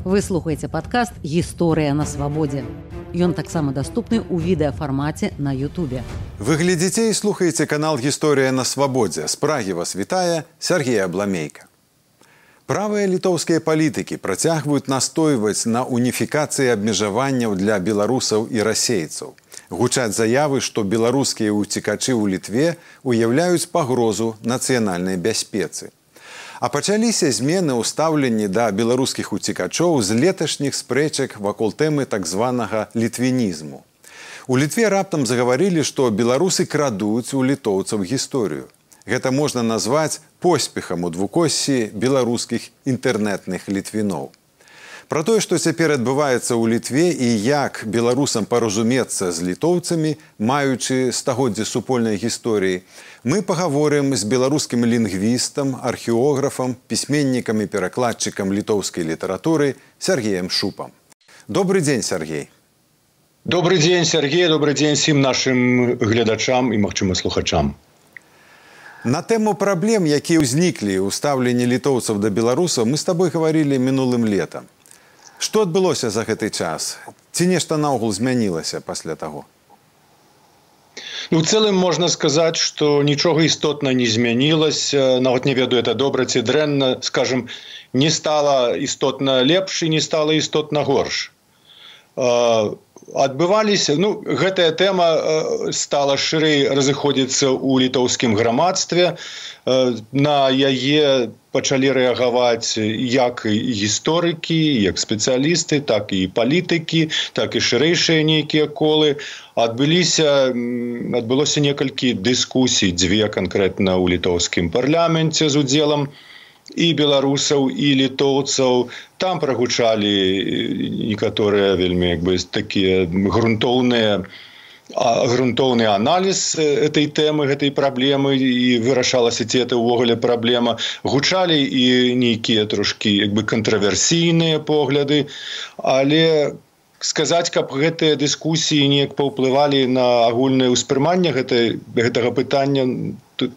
Вы слухаеце падкаст «Гісторыя на свабодзе». Ён таксама даступны ў відэафармаце на Ютубе. Вы глядзіце і слухаеце канал «Гісторыя на свабодзе». З Прагі вас вітае Сергей Абламейка. Правыя літоўскія палітыкі працягваюць настойваць на уніфікацыі абмежаванняў для беларусаў і расейцаў. Гучаць заявы, што беларускія ўцекачы ў Літве уяўляюць пагрозу нацыянальнай бяспецы. А пачаліся змены ў стаўленні да беларускіх уцекачоў з леташніх спрэчак вакол тэмы так званага літвінізму. У Літве раптам загаварылі, што беларусы крадуць у літоўцаў гісторыю. Гэта можна назваць поспехам у двукоссі беларускіх інтэрнэтных літвіноў. Пра тое, што цяпер адбываецца ў Літве і як беларусам паразумецца з літоўцамі, маючы стагоддзе супольнай гісторыі, мы пагаворым з беларускім лінгвістам, археографам, пісьменнікам і перакладчыкам літоўскай літаратуры Сергеем Шупам. Добры дзень, Сергей. Добрый дзень, Сергей. Добрый дзень всім нашым гледачам і, магчыма, слухачам. На тэму праблем, якія ўзніклі ў стаўленні літоўцаў да беларусаў, мы з табой гаварылі мінулым летам. Што адбылося за гэты час? Ці нешта наогул змянілася пасля таго? У цэлым можна сказаць, што нічога істотна не змянілася. Нават не ведаю, это добра ці дрэнна. Скажем, не стала істотна лепш і не стала істотна горш. Адбываліся, гэтая тэма стала шырэй разыходзіцца ў літоўскім грамадстве. На яе пачалі рэагаваць як і гісторыкі, як спецыялісты, так і палітыкі, так і шырэйшыя нейкія колы. Адбылося некалькі дыскусій, дзве канкрэтна ў літоўскім парламенце з удзелам і беларусаў, і літоўцаў. Там прагучалі некаторыя вельмі такія грунтоўны аналіз этой тэмы, гэтай праблемы, і вырашалася, ці это ўвогуле праблема. Гучалі і нейкія трошкі кантраверсійныя погляды, але сказаць, каб гэтыя дыскусіі неяк паўплывалі на агульнае ўспрыманне гэтага пытання, тут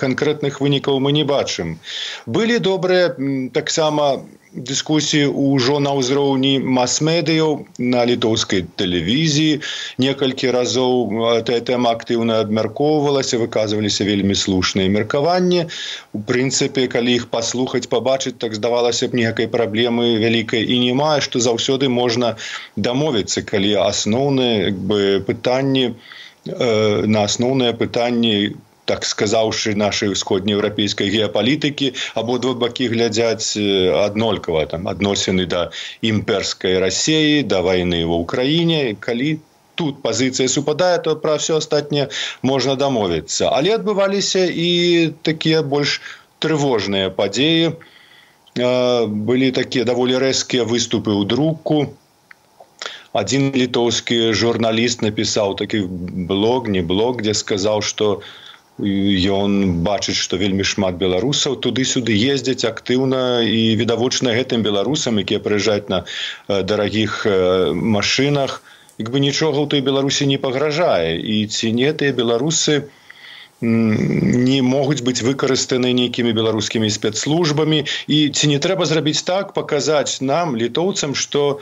канкрэтных вынікаў мы не бачым. Былі добрыя таксама дыскусіі ўжо на ўзроўні мас-медыяў, на літоўскай тэлевізіі. Некалькі разоў тая тэма актыўна абмяркоўвалася, выказваліся вельмі слушныя меркаванні. У прынцыпе, калі іх паслухаць, пабачыць, так здавалася б, ніякай праблемы вялікай і няма, што заўсёды можна дамовіцца, калі асноўныя пытанні, на асноўныя пытанні, так сказаўшы, нашай усходнееўрапейскай геапалітыкі, абодва бакі глядзяць аднолькава, адносіны да імперскай Расіі, да вайны ва ўкраіне. Калі тут пазіцыя супадае, то пра ўсё астатняе можна дамовіцца. Але адбываліся і такія больш трывожныя падзеі. Былі такія даволі рэзкія выступы ў друку. Адзін літоўскі журналіст напісаў такі блог, дзе сказаў, што ён бачыць, што вельмі шмат беларусаў туды-сюды ездзяць актыўна і відавочна гэтым беларусам, якія прыязджаюць на дарагіх машынах, нічога ў той Беларусі не пагражае. І ці не тыя беларусы не могуць быць выкарыстаны нейкімі беларускімі спецслужбамі, і ці не трэба зрабіць так, паказаць нам, літоўцам, што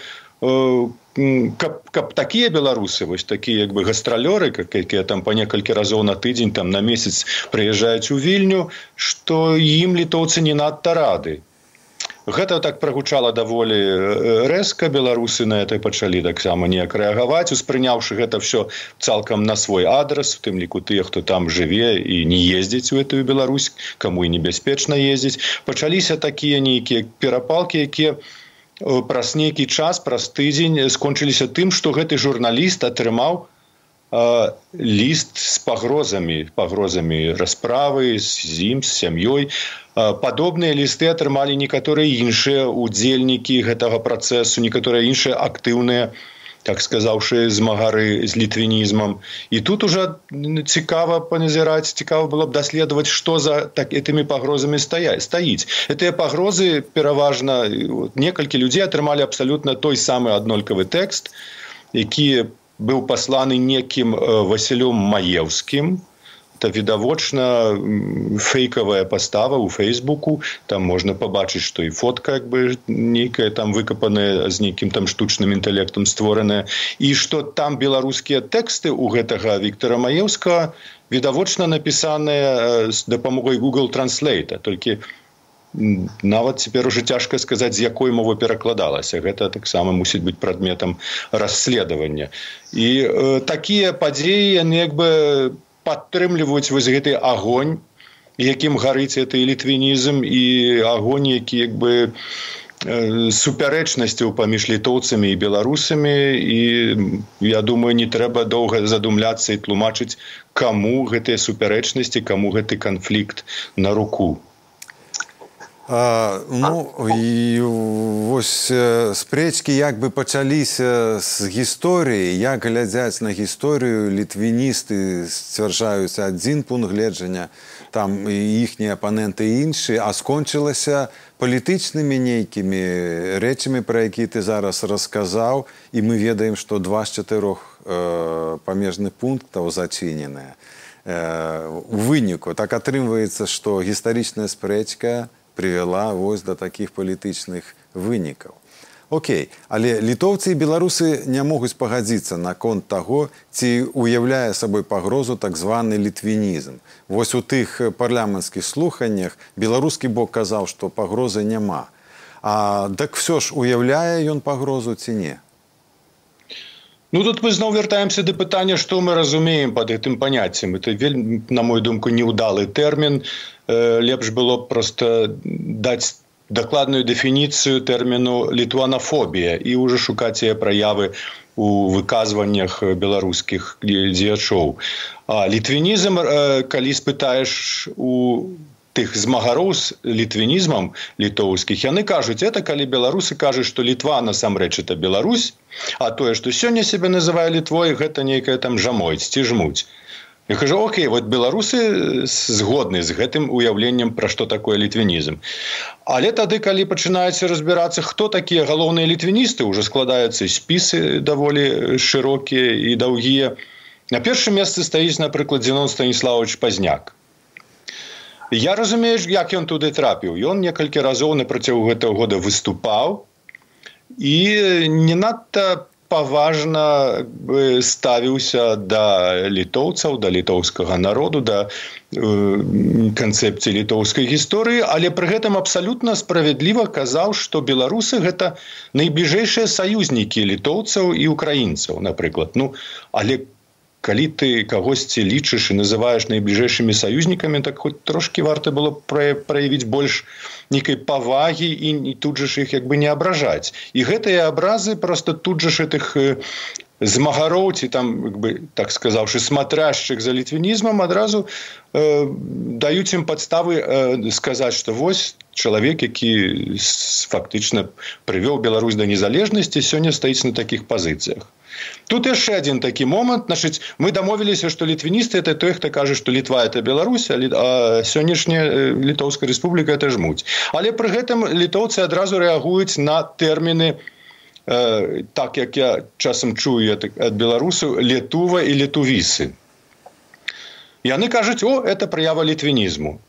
каб такія беларусы, вось такія гастралёры, якія там па некалькі разоў на тыдзень, там на месяц прыязджаюць у Вільню, што ім літоўцы не надта рады. Гэта так прагучала даволі рэзка. Беларусы на это пачалі таксама неяк рэагаваць, успрыняўшы гэта ўсё цалкам на свой адрас, у тым ліку тыя, хто там жыве і не ездзіць у гэтую Беларусь, каму і небяспечна ездзіць. Пачаліся такія нейкія перапалкі, якія праз нейкі час, праз тыдзень скончыліся тым, што гэты журналіст атрымаў ліст з пагрозамі расправы з ім, з сям'ёй. Падобныя лісты атрымалі некаторыя іншыя удзельнікі гэтага працэсу, некаторыя іншыя актыўныя, так сказаўшы, змагары з літвінізмам. І тут ужо цікава паназіраць, цікава было б даследаваць, што за гэтымі пагрозамі стаіць. Гэтыя пагрозы пераважна, некалькі людзей атрымалі абсалютна той самы аднолькавы тэкст, які быў пасланы некім Васілём Маеўскім, гэта відавочна фейкавая пастава ў Фейсбуку. Там можна пабачыць, што і фотка як бы нейкая там выкапаная з нейкім там штучным інтэлектам створаная, і што там беларускія тэксты ў гэтага Віктора Маеўскага відавочна напісаныя з дапамогай Google Translate, толькі нават цяпер уже цяжка сказаць, з якой мовы перакладалася. Гэта таксама мусіць быць прадметам расследавання. І такія падзеі, яны як бы падтрымліваюць вось гэты агонь, якім гарыць гэты літвінізм, і агонь, які як бы супярэчнасцяў паміж літоўцамі і беларусамі, і я думаю, не трэба доўга задумляцца і тлумачыць, каму гэтыя супярэчнасці, каму гэты канфлікт на руку. І вось спрэчкі як бы пачаліся з гісторыі, як глядзяць на гісторыю літвіністы сцвярджаюць адзін пункт гледжання, там іхнія апаненты іншыя, а скончылася палітычнымі нейкімі рэчамі, пра якія ты зараз расказаў, і мы ведаем, што 2 з 4 памежных пунктаў зачыненыя. У выніку так атрымваецца, што гістарычная спрэчка привела вось да такіх палітычных вынікаў. Окей, але літоўцы і беларусы не могуць пагадзіцца наконт таго, ці уяўляе сабой пагрозу так званы літвінізм. Вось у тых парламенцкіх слуханнях беларускі бок казаў, што пагрозы няма. А так всё ж уяўляе ён пагрозу ці не? Ну, тут мы зноў вяртаемся да пытання, што мы разумеем пад гэтым паняццем. Это вельмі, на мою думку, неўдалы тэрмін. Лепш было проста даць дакладную дэфініцыю тэрміну літванафобія і ўжо шукаць яе праявы у выказваннях беларускіх дзеячоў. А літвінізм, калі спытаеш у тых змагароў з літвінізмам літоўскіх, яны кажуць, это калі беларусы кажуць, што Літва насамрэч это Беларусь, а тое, што сёння сябе называе Літвой, гэта нейкая там жамойць ці жмуць. Я кажу, окей, вот беларусы згодны з гэтым уяўленнем, пра што такое літвінізм. Але тады, калі пачынаецца разбірацца, хто такія галоўныя літвіністы, ўжо складаюцца спісы даволі шырокія і даўгія. На першым месцы стаіць, напрыклад, Зенон Станіславович Пазняк. Я разумею, як ён туды трапіў. Ён некалькі разоў на працягу гэтага года выступаў і не надта паважна ставіўся да літоўцаў, да літоўскага народу, да канцэпцыі літоўскай гісторыі, але пры гэтым абсалютна справядліва казаў, што беларусы гэта найбліжэйшыя саюзнікі літоўцаў і украінцаў, напрыклад. Ну, але калі ты кагосьці лічыш і называеш найбліжэйшымі саюзнікамі, так хоць трошкі варта было праявіць больш нейкай павагі і тут жа ж іх як бы не абражаць. І гэтыя абразы проста тут жа ж гэтых змагароў, ці там, як бы, так сказаўшы, смотряшчых за літвінізмам адразу даюць ім падставы сказаць, што вось чалавек, які фактычна прывёў Беларусь да незалежнасці, сёння стаіць на такіх пазіцыях. Тут яшчэ адзін такі момант. Значыць, мы дамовіліся, што літвіністы – это той, хто кажа, што Літва – это Беларусь, а сённяшняя Літоўская рэспубліка – это жмуць. Але пры гэтым літоўцы адразу рэагуюць на тэрміны, так як я часам чую ад беларусаў, летува і летувісы. Яны кажуць, это праява літвінізму.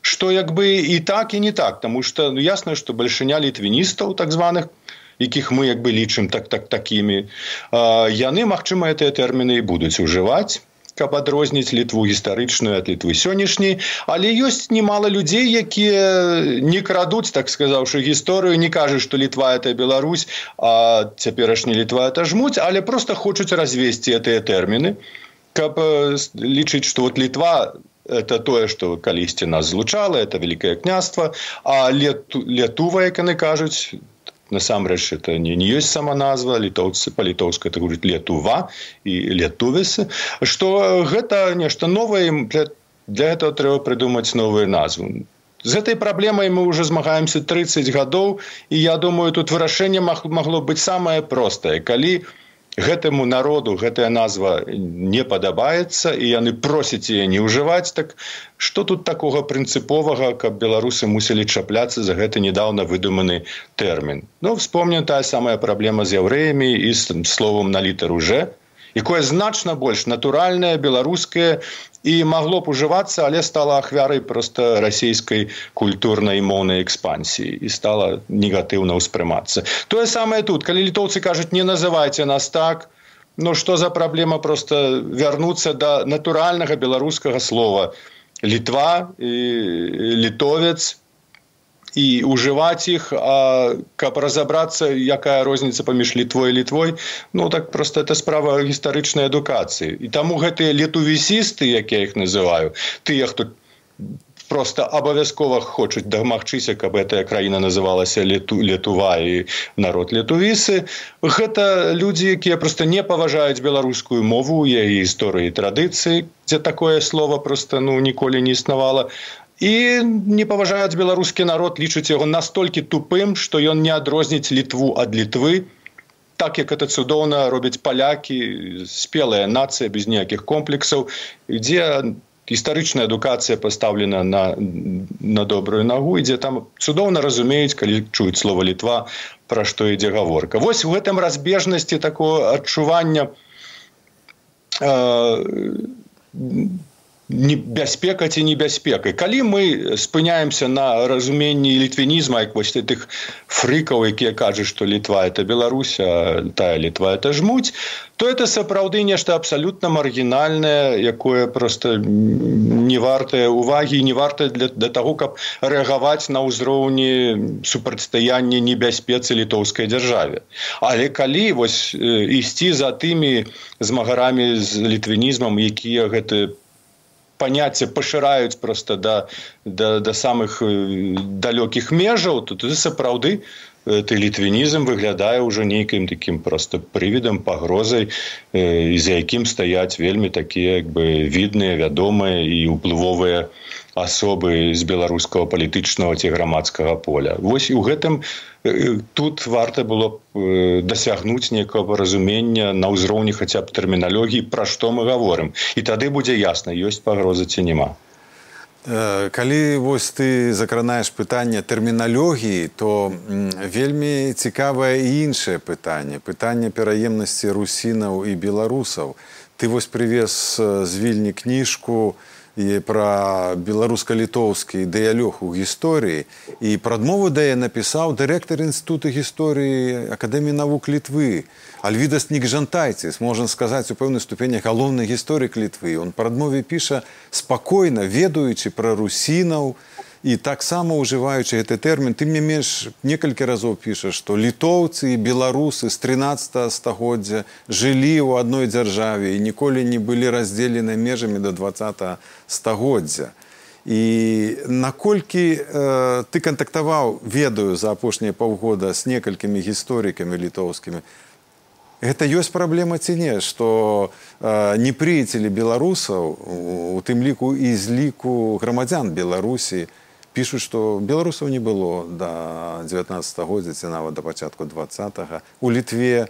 Што як бы і так, і не так, таму што ясна, што бальшыня літвіністаў, так званых, якіх мы як бы лічым такімі, яны, магчыма, гэтыя тэрміны і будуць ужываць, каб адрозніць Літву гістарычную ад Літвы сённяшняй, але ёсць немала людзей, якія не крадуць, так сказаўшы, гісторыю, не кажуць, што Літва – это Беларусь, а цяперашні Літва – это жмуць, але проста хочуць развесці гэтыя тэрміны, каб лічыць, што вот Літва – это тое, што калісьці нас злучала, это Вялікае княства, а Летува, як яны кажуць, насамрэч, это не ёсць сама назва, літоўцы па-літоўску это гучыць Летува і Летувісы, што гэта нешта новае, для гэтага трэба прыдумаць новую назву. З гэтай праблемай мы ўжо змагаемся 30 гадоў, і я думаю, тут вырашэнне магло быць самае простае. Калі гэтаму народу гэтая назва не падабаецца, і яны просяць яе не ўжываць, так што тут такога прынцыповага, каб беларусы мусілі чапляцца за гэты недаўна выдуманы тэрмін? Ну, вспомнім тая самая праблема з яўрэямі і з словам на літару «Ж». якое значна больш натуральнае, беларускае і магло б ужывацца, але стала ахвярай проста расійскай культурнай і моўнай экспансіі і стала негатыўна ўспрымацца. Тое самае тут, калі літоўцы кажуць, не называйце нас так, ну што за праблема проста вярнуцца да натуральнага беларускага слова Літва і літовец і ўжываць іх, а каб разабрацца, якая розніца паміж Літвой і Літвой, ну так проста это справа гістарычнай адукацыі. І таму гэтыя летувісісты, як я іх называю, тыя, хто просто абавязкова хочуць дамагчыся, каб гэтая краіна называлася Летува і народ летувісы, гэта людзі, якія проста не паважаюць беларускую мову, яе гісторыі і традыцыі, дзе такое слово проста ніколі не існавала, і не паважаюць беларускі народ, лічаць яго настолькі тупым, што ён не адрозніць Літву ад Літвы, так як это цудоўна робяць палякі, спелая нацыя, без ніякіх комплексаў, дзе гістарычная адукацыя пастаўлена на добрую нагу, і дзе там цудоўна разумеюць, калі чуюць слова Літва, пра што ідзе гаворка. Вось у гэтым разбежнасці такого адчування бяспека ці небяспека. Калі мы спыняемся на разуменні літвінізма, як вось тых фрыкаў, якія кажуць, што Літва – это Беларусь, а тая Літва – это жмуть, то это сапраўды нешта абсалютна маргінальнае, якое проста не вартае увагі, не вартае для таго, каб рэагаваць на ўзроўні супрацьстаяння небяспецы літоўскай дзяржаве. Але калі вось ісці за тымі змагарамі з літвінізмам, якія гэты паняцце пашыраюць проста да самых далёкіх межаў, то тут сапраўды літвінізм выглядае ўжо нейкім такім проста прывідам, пагрозай, за якім стаяць вельмі такія відныя, вядомыя і ўплывовыя асобы з беларускага палітычнага ці грамадскага поля. Вось і ў гэтым тут варта было б дасягнуць некага разумення на ўзроўні хаця б тэрміналогіі, пра што мы гаворым. І тады будзе ясна, ёсць пагроза ці няма. Калі вось ты закранаеш пытанне тэрміналогіі, то вельмі цікавае і іншае пытанне. Пытанне пераемнасці русінаў і беларусаў. Ты вось прывез з Вільні кніжку пра беларуска-літоўскі дыялог у гісторыі, і прадмову да яе напісаў дырэктар інстытута гісторыі Акадэміі навук Літвы Альвідас Нікжантайціс, можна сказаць, у пэўнай ступені галоўны гісторык Літвы. Он прадмове піша спакойна, ведаючы пра русінаў і таксама ўжываючы гэты тэрмін. Ты мне менш некалькі разоў пішаш, што літоўцы і беларусы з 13 стагоддзя жылі ў адной дзяржаве і ніколі не былі раздзелены межамі да 20 стагоддзя. І наколькі ты кантактаваў, ведаю, за апошнія паўгода з некалькімі гісторыкамі літоўскімі, гэта ёсць праблема ці не, што непрыяцелі беларусаў, у тым ліку і з ліку грамадзян Беларусі, пішуць, што беларусаў не было да 19 стагоддзя ці нават да пачатку 20-го. У Літве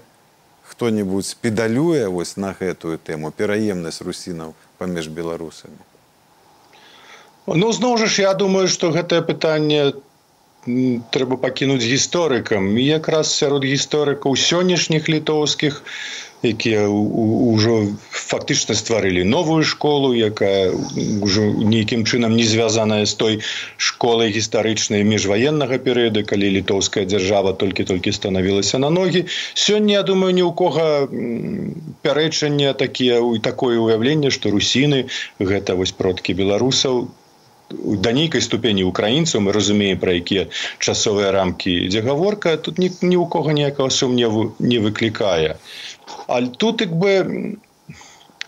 хто-небудзь педалюе вось на гэтую тэму, пераемнасць русінаў паміж беларусамі? Ну, зноў жа ж, я думаю, што гэтае пытанне трэба пакінуць гісторыкам. І якраз сярод гісторыкаў сённяшніх літоўскіх, якія ўжо фактычна стварылі новую школу, якая ўжо нейкім чынам не звязаная з той школай гістарычнай міжваеннага перыяду, калі літоўская дзяржава толькі-толькі станавілася на ногі. Сёння, я думаю, ні ў кога пярэчання такое ўяўленне, што русіны – гэта вось продкі беларусаў. Да нейкай ступені украінцаў, мы разумеем, пра якія часовыя рамкі ідзе гаворка, тут ні ў кога ніякага сумневу не выклікае. Але тут,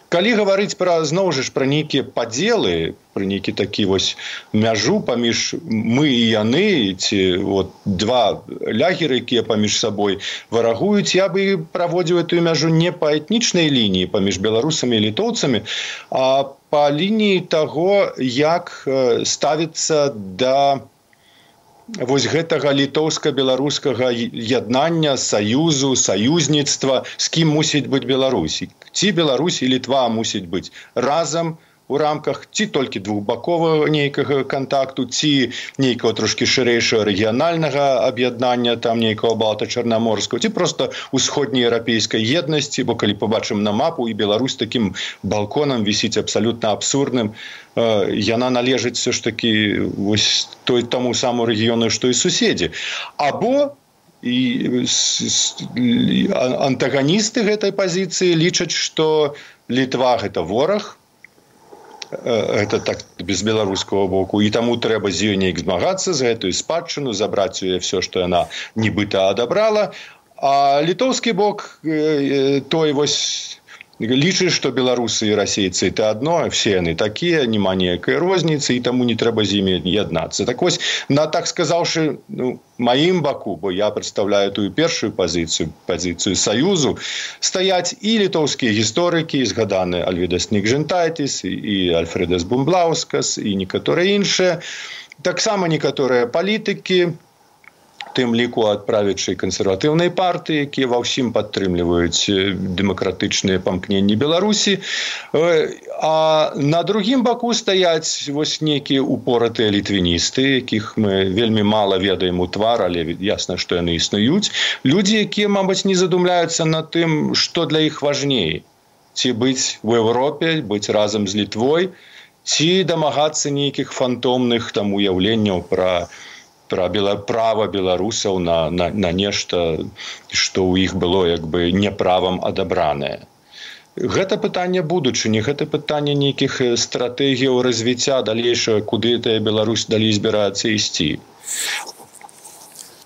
калі гаварыць зноў жа пра нейкія падзелы, пра нейкі такі вось мяжу паміж мы і яны, ці два лягеры, якія паміж сабой варагуюць, я бы праводзіў эту мяжу не па этнічнай лініі паміж беларусамі і літоўцамі, а па лініі таго, як ставіцца да вось гэтага літоўска-беларускага яднання, саюзу, саюзніцтва, з кім мусіць быць Беларусь. Ці Беларусь і Літва мусіць быць разам у рамках ці толькі двухбаковага нейкага кантакту, ці нейкага трошкі шырэйшага рэгіянальнага аб'яднання, там нейкага балта-чарнаморскага, ці проста усходнееўрапейскай еднасці, бо калі побачым на мапу, і Беларусь такім балконам вісіць абсалютна абсурдным, яна належыць все ж таки вось таму самому рэгіёну, што і суседзі. Або і антаганісты гэтай пазіцыі лічаць, што Літва – гэта вораг, гэта так без беларускага боку, і таму трэба з ёй неяк змагацца, за гэтую спадчыну, забраць у яе все, што яна нібыта адабрала. А літоўскі бок той вось лічыць, што беларусы і расейцы – это адно, все яны такія, няма ніякай розніцы, і таму не трэба з імі яднацца. Так вось, так сказаўшы, маім баку, бо я прадстаўляю тую першую пазіцыю Саюзу, стаяць і літоўскія гісторыкі, згаданы Альвідас Нігжентайтіс, і Альфредас Бумблаускас, і некаторыя іншыя, таксама некаторыя палітыкі, тым ліку ад правячай кансерватыўнай партыі, якія ва ўсім падтрымліваюць дэмакратычныя памкненні Беларусі. А на другім баку стаяць вось нейкія упоратыя літвіністы, якіх мы вельмі мала ведаем у твар, але ясна, што яны існуюць. Людзі, якія, мабыць, не задумляюцца над тым, што для іх важней. Ці быць у Еўропе, быць разам з Літвой, ці дамагацца нейкіх фантомных там уяўленняў пра права беларусаў на нешта, што ў іх было як бы няправам адабранае. Гэта пытанне будучыні, гэта пытанне нейкіх стратэгіяў развіцця далейшага, куды тая Беларусь далей збіраецца ісці.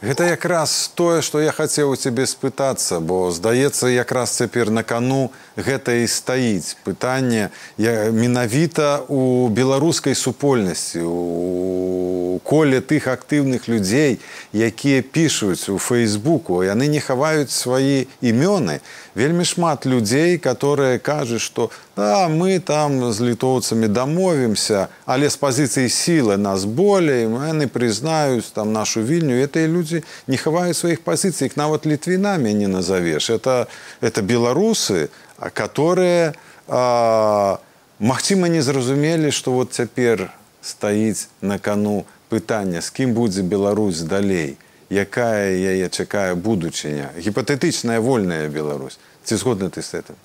Гэта якраз тое, што я хацеў у цябе спытацца, бо, здаецца, якраз цяпер на кану гэта і стаіць пытанне менавіта у беларускай супольнасці, у коле тых актыўных людзей, якія пішуць у Фейсбуку, яны не хаваюць свае імёны. Вельмі шмат людзей, которые кажуць, што мы там з літоўцамі дамовімся, але з пазіцыі сілы нас болей, яны прызнаюць там нашу Вільню. Гэтыя людзі не хаваюць сваіх пазіцый, іх нават літвінамі не назавеш. Это беларусы, которые, магчыма, не зразумелі, што вот цяпер стаіць на кану пытання, з кім будзе Беларусь далей, якая яе чакае будучыня, гіпатэтычная вольная Беларусь. Ці згодны ты з гэтым?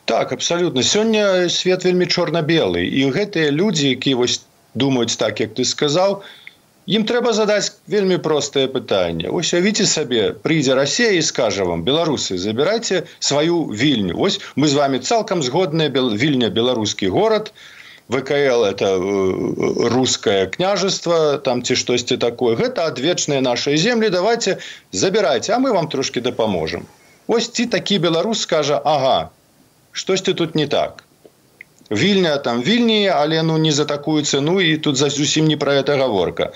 Так, абсалютна. Сёння свет вельмі чорна-белы, і гэтыя людзі, якія вось думаюць так, як ты сказаў, ім трэба задаць вельмі простае пытанне. Вось уявіце сабе, прыйдзе Расія і скажа вам: беларусы, забірайце сваю Вільню. Вось мы з вами цалкам згодныя, Вільня беларускі горад, ВКЛ – это русское княжество, там ці штосьці такое. Гэта адвечныя нашыя землі, давайте забірайце, а мы вам трошки дапаможам. Ось ці такі беларус скажа: ага, штосьці тут не так. Вільня там Вільні, але не за такую цену, і тут зусім не пра гэта гаворка.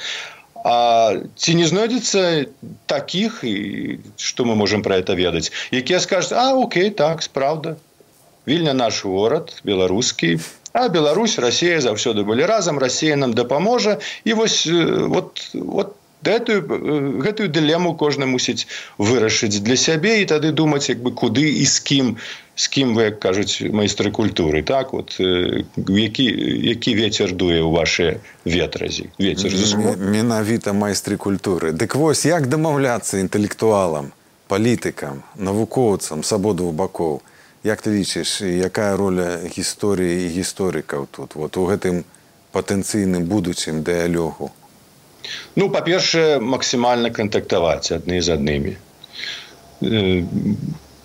А ці не знойдзецца такіх, і што мы можам пра гэта ведаць, якія скажуць: окей, так, справда, Вільня наш горад, беларускі, а Беларусь, Расія заўсёды былі разам, Расія нам дапаможа. І вось гэтую дылему кожны мусіць вырашыць для сябе і тады думаць, куды і з кім вы, як кажуць майстры культуры, так, які вецер дуе ў вашыя ветразі. Менавіта майстры культуры. Дык вось, як дамаўляцца інтэлектуалам, палітыкам, навукоўцам з абодвух бакоў? Як ты лічыш, якая роля гісторыі і гісторыкаў тут, вот у гэтым патэнцыйным будучым дыялогу? Па-першае, максімальна кантактаваць адны з аднымі.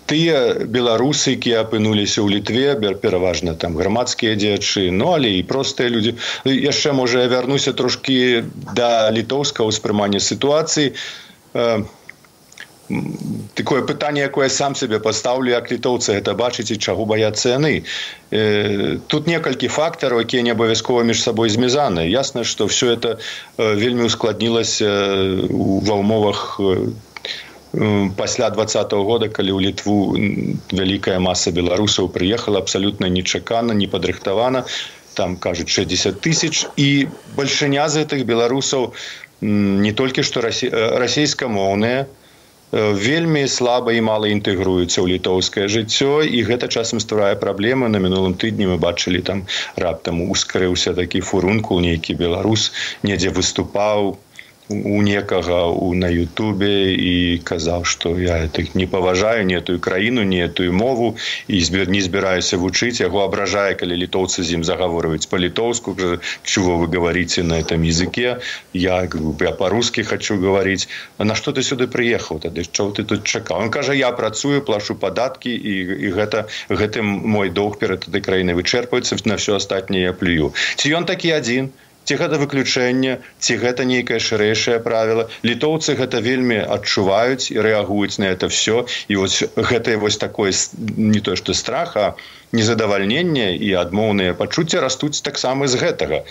Тыя беларусы, якія апынуліся ў Літве, пераважна там грамадскія дзеячы, але і простыя людзі. Яшчэ, можа, я вярнуся трошкі да літоўскага ўспрымання сітуацыі. Такое пытанне, якое я сам себе пастаўлю, як літоўцы гэта бачыць і чаго баяцца яны. Тут некалькі фактараў, якія не абавязкова між сабой змязаныя. Ясна, што все это вельмі ускладнілася ва ўмовах пасля 20-го года, калі ў Літву вялікая маса беларусаў прыехала абсалютна нечакана, непадрыхтавана, там, кажуць, 60 000, і бальшыня з гэтых беларусаў не толькі што расейскамоўныя, вельмі слаба і мала інтэгруюцца ў літоўскае жыццё, і гэта часам стварае праблемы. На мінулым тыдні мы бачылі, там раптам ускрыўся такі фурункул, нейкі беларус недзе выступаў у некага на Ютубе і казаў, што я не паважаю ні этую краіну, ні этую мову і не збіраюся вучыць. Яго абражае, калі літоўцы з ім загаворваюць па-літоўску, чего вы говорите на этом языке, я по-русски хочу говорить. А на што ты сюды прыехаў тады? Чого ты тут чакаў? Он кажа, я працую, плачу падаткі, і гэтым мой доўг перад этой краінай вычэрпваецца, на все астатняе я плюю. Ці ён такі адзін? Ці гэта выключэнне, ці гэта нейкае шырэйшае правіла. Літоўцы гэта вельмі адчуваюць і рэагуюць на это все. І вось гэтае вось такое, не тое што страх, а незадавальненне і адмоўныя пачуцці растуць таксама з гэтага.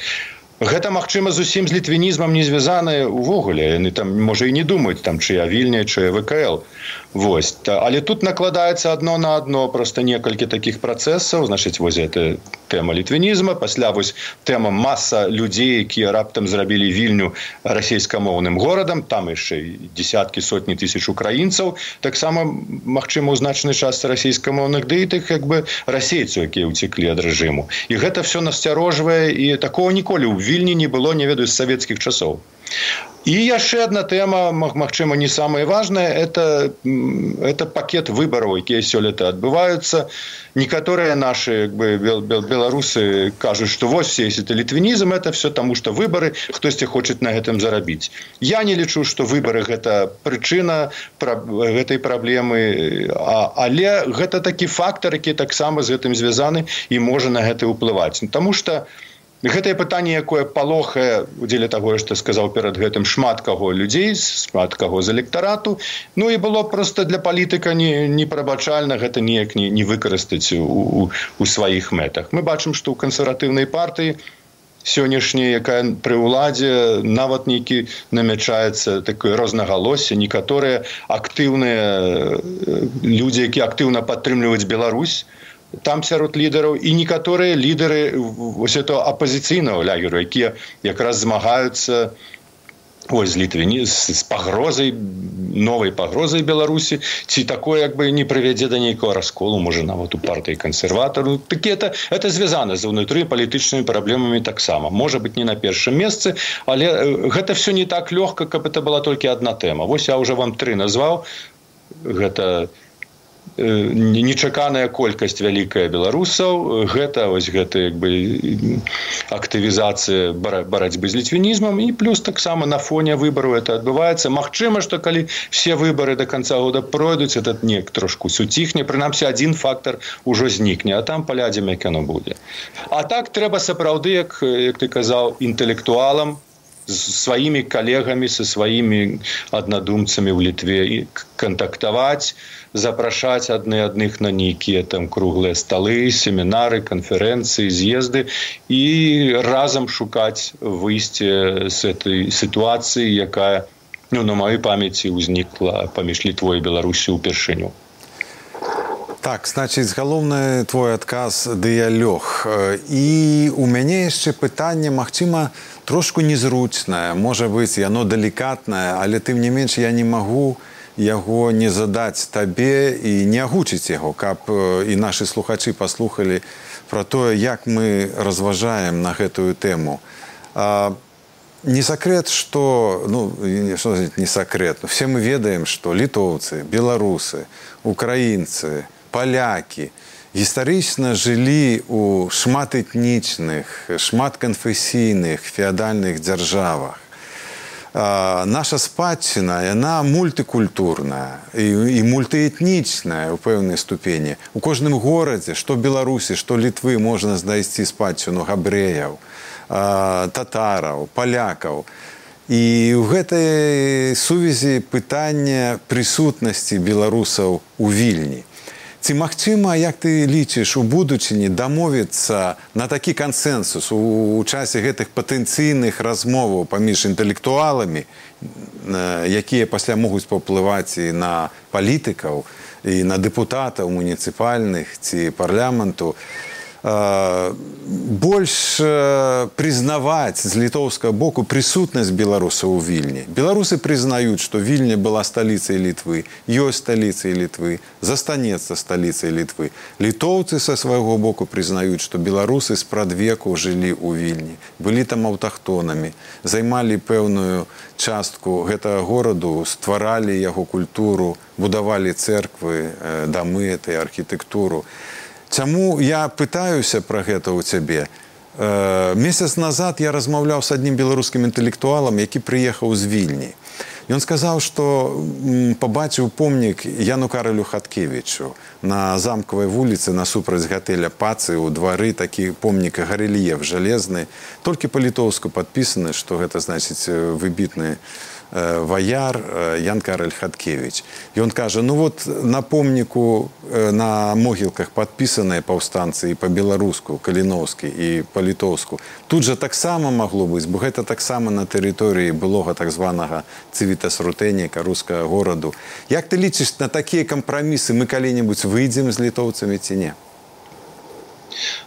Гэта, магчыма, зусім з літвінізмам не звязанае ўвогуле. Яны там, можа, і не думаюць, там, чыя Вільня, чыя ВКЛ. Вось. Але тут накладаецца адно на адно проста некалькі такіх працэсаў. Значыць, вось гэта тэма літвінізма. Пасля вось тэма маса людзей, якія раптам зрабілі Вільню расейскамоўным горадам. Там яшчэ десяткі, сотні тысяч украінцаў. Таксама, магчыма, у значнай частцы расейскамоўных, ды і тых, як бы, расейцаў, якія ўцеклі ад рэжыму. І гэта все насцярожвае, і такого ніколі ў Вільні не было, не ведаю, з савецкіх часоў. І яшчэ одна тэма, магчыма, не самая важная, это пакет выбараў, якія сёлета адбываюцца. Некаторыя нашы беларусы кажуць, што вось все это літвінізм, это все таму, што выбары, хтосьці хоча на гэтым зарабіць. Я не лічу, што выбары гэта прычына гэтай праблемы, але гэта такі фактар, які таксама з гэтым звязаны і можа на гэта ўплываць. Таму што гэтае пытанне, якое палохае, дзеля таго, што сказаў перад гэтым, шмат каго людзей, шмат каго з электарату, ну і было проста для палітыка непрабачальна гэта неяк не выкарыстаць у сваіх мэтах. Мы бачым, што ў кансерватыўнай партыі сённяшняй, якая пры ўладзе, нават нейкі намячаецца такое рознагалоссе, некаторыя актыўныя людзі, якія актыўна падтрымліваюць Беларусь, там сярод лідараў, і некаторыя лідары вось этого апазіцыйнага лагеру, якія якраз змагаюцца з пагрозай, новай пагрозай Беларусі, ці такое як бы не прывядзе да нейкага расколу, можа, нават у партыі кансерватараў. Такі это звязана з унутры палітычнымі праблемамі таксама. Можа быць, не на першым месцы, але гэта все не так лёгка, каб это была толькі адна тэма. Вось я ўжо вам 3 назваў. Гэта нечаканая колькасць вялікая беларусаў, гэта вось гэта як бы актывізацыя барацьбы з літвінізмам, і плюс таксама на фоне выбараў это адбываецца. Магчыма, што калі все выбары до конца года пройдуць, этот неяк трошку суціхне, прынамсі адзін фактар ужо знікне, а там паглядзім, як яно будзе. А так трэба сапраўды, як ты казаў, інтэлектуалам, з сваімі калегамі, са сваімі аднадумцамі ў Літве кантактаваць, запрашаць адных на нейкія там круглыя сталы, семінары, канферэнцыі, з'езды і разам шукаць выйсце з этой сітуацыі, якая, на маёй памяці ўзнікла паміж Літвой і Беларусю ўпершыню. Так, значыць, галоўны твой адказ – дыялог. І у мяне яшчэ пытанне, магчыма, трошку незручнае, можа быць, яно далікатнае, але тым не менш я не магу яго не задаць табе і не агучыць яго, каб і нашы слухачы паслухалі пра тое, як мы разважаем на гэтую тэму. Не сакрэт, што, што не сакрэт, все мы ведаем, што літоўцы, беларусы, украінцы, палякі гістарычна жылі ў шматэтнічных, шматканфесійных феадальных дзяржавах. Наша спадчына, яна мультыкультурная і мультыэтнічная ў пэўнай ступені. У кожным горадзе, што Беларусі, што Літвы, можна знайсці спадчыну габрэяў, татараў, палякаў. І ў гэтай сувязі пытанне прысутнасці беларусаў у Вільні. Ці магчыма, як ты лічыш, у будучыні дамовіцца на такі кансэнсус у часе гэтых патэнцыйных размоваў паміж інтэлектуаламі, якія пасля могуць паўплываць і на палітыкаў, і на дэпутатаў муніцыпальных ці парламенту, больш прызнаваць з літоўскага боку прысутнасць беларусаў у Вільні. Беларусы прызнаюць, што Вільня была сталіцай Літвы, ёсць сталіцай Літвы, застанецца сталіцай Літвы. Літоўцы са свайго боку прызнаюць, што беларусы спрадвеку жылі ў Вільні, былі там аўтахтонамі, займалі пэўную частку гэтага гораду, стваралі яго культуру, будавалі цэрквы, дамы, этой архітэктуру. Чаму я пытаюся пра гэта ў цябе? Месяц назад я размаўляў з аднім беларускім інтэлектуалам, які прыехаў з Вільні. Ён сказаў, што пабачыў помнік Яну Каралю Хаткевічу на Замкавай вуліцы насупраць гатэля Пацы ў двары, такі помнік гарэльеф жалезны, толькі па-літоўску падпісаны, што гэта значыць выбітны ваяр Ян Караль Хаткевіч. Ён кажа, ну вот на помніку, на могілках падпісаныя паўстанцы і па-беларуску, каліноўскі і па-літоўску. Тут жа таксама магло быць, бо гэта таксама на тэрыторыі былога так званага Цывітас Рутэнніка, рускага гораду. Як ты лічыш, на такія кампрамісы мы калі-небудзь выйдзем з літоўцамі ці не?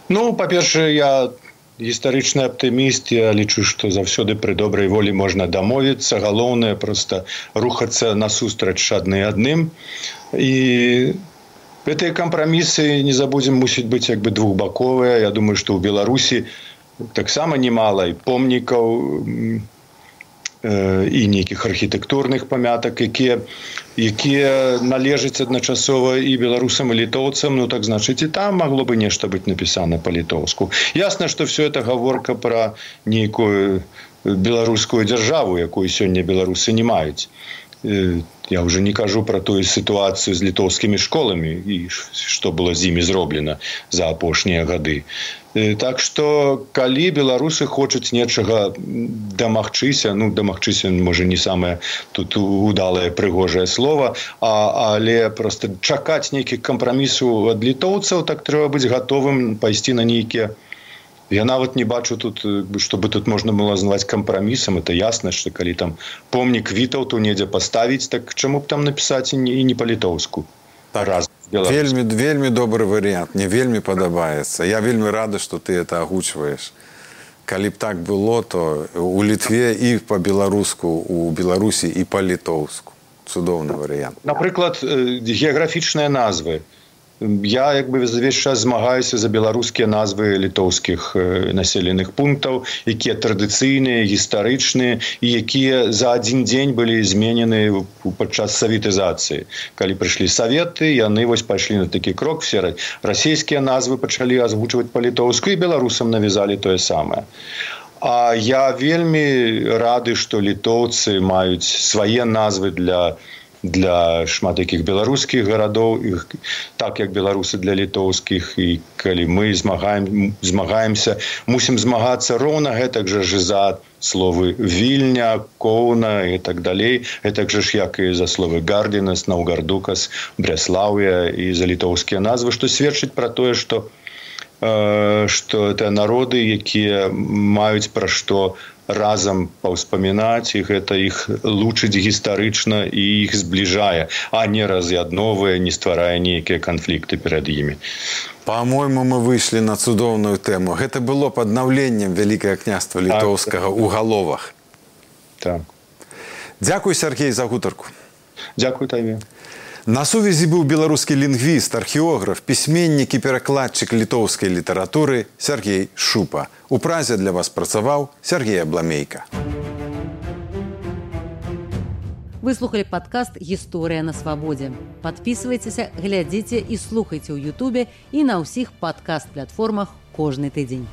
Ну, па-першае, я гістарычны аптыміст, я лічу, што заўсёды пры добрай волі можна дамовіцца. Галоўнае проста рухацца насустрач адны адным. І гэтыя кампрамісы, не забудзем, мусіць быць як бы двухбаковыя. Я думаю, што ў Беларусі таксама немала і помнікаў, і нейкіх архітэктурных памятак, якія належаць адначасова і беларусам, і літоўцам, ну так значыць і там магло бы нешта быць напісана па-літоўску. Ясна, што все это гаворка пра нейкую беларускую дзяржаву, якую сёння беларусы не маюць. Я ўжо не кажу пра тую сітуацыю з літоўскімі школамі і што было з імі зроблена за апошнія гады. Так што, калі беларусы хочуць нечага дамагчыся, ну, дамагчыся, можа, не самае тут удалае прыгожае слова, але проста чакаць нейкіх кампрамісаў ад літоўцаў, так трэба быць гатовым пайсці на нейкія. Я нават не бачу тут, чтобы тут можна было назваць кампрамісам. Это ясна, што калі там помнік Вітаўту недзе паставіць, так чаму б там напісаць і не па-літоўску? Так, вельмі добры варыянт, мне вельмі падабаецца. Я вельмі рады, што ты это агучваеш. Калі б так было, то у Літве і па-беларуску, у Беларусі і па-літоўску. Цудоўны варыянт. Напрыклад, геаграфічныя назвы. Я як бы увесь час змагаюся за беларускія назвы літоўскіх населеных пунктаў, якія традыцыйныя, гістарычныя і якія за адзін дзень былі зменены падчас саветызацыі. Калі прыйшлі саветы, яны вось пайшлі на такі крок, все расійскія назвы пачалі азвучваць па-літоўску і беларусам навязалі тое самае. А я вельмі рады, што літоўцы маюць свае назвы для шмат якіх беларускіх гарадоў, так як беларусы для літоўскіх, і калі мы змагаемся, мусім змагацца роўна гэтак жа за словы Вільня, Коўна і так далей, гэтак жа ж як і за словы Гардзінас, Наўгардукас, Брэслаўя і за літоўскія назвы, што сведчыць пра тое, што это народы, якія маюць пра што разам паўспамінаць, і гэта іх лучыць гістарычна і іх збліжае, а не раз'ядновае, не стварае нейкія канфлікты перад імі. Па-мойму, мы выйшлі на цудоўную тэму. Гэта было б аднаўленнем Вялікага княства літоўскага ў Галовах. Так. Дзякуй, Сяргей, за гутарку. Дзякуй табе. На сувязі быў беларускі лінгвіст, археограф, пісьменнік і перакладчык літоўскай літаратуры Сяргей Шупа. У Празе для вас працаваў Сяргей Абламейка. Вы слухали падкаст «Гісторыя на свабодзе». Падпісвайцеся, глядзіце і слухайце ў Ютубе і на ўсіх падкаст-платформах кожны тыдзень.